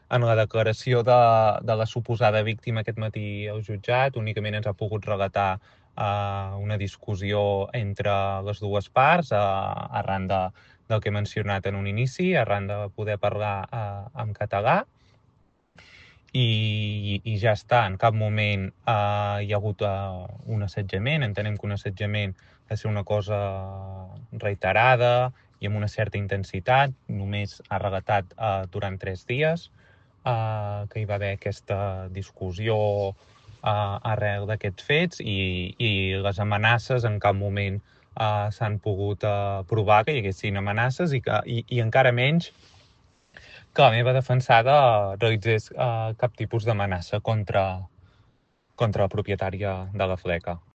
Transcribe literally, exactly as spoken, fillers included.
en la declaració de, de la suposada víctima aquest matí al jutjat únicament ens ha pogut relatar uh, una discussió entre les dues parts uh, arran de, del que he mencionat en un inici, arran de poder parlar uh, en català. I, i ja està, en cap moment uh, hi ha hagut uh, un assetjament, entenem que un assetjament ha de ser una cosa reiterada i amb una certa intensitat, només ha relatat uh, durant tres dies uh, que hi va haver aquesta discussió uh, arrel d'aquests fets i, i les amenaces en cap moment uh, s'han pogut uh, provar que hi haguessin amenaces i, que, i, i encara menys que la meva defensada realitzés uh, cap tipus d'amenaça contra, contra la propietària de la fleca.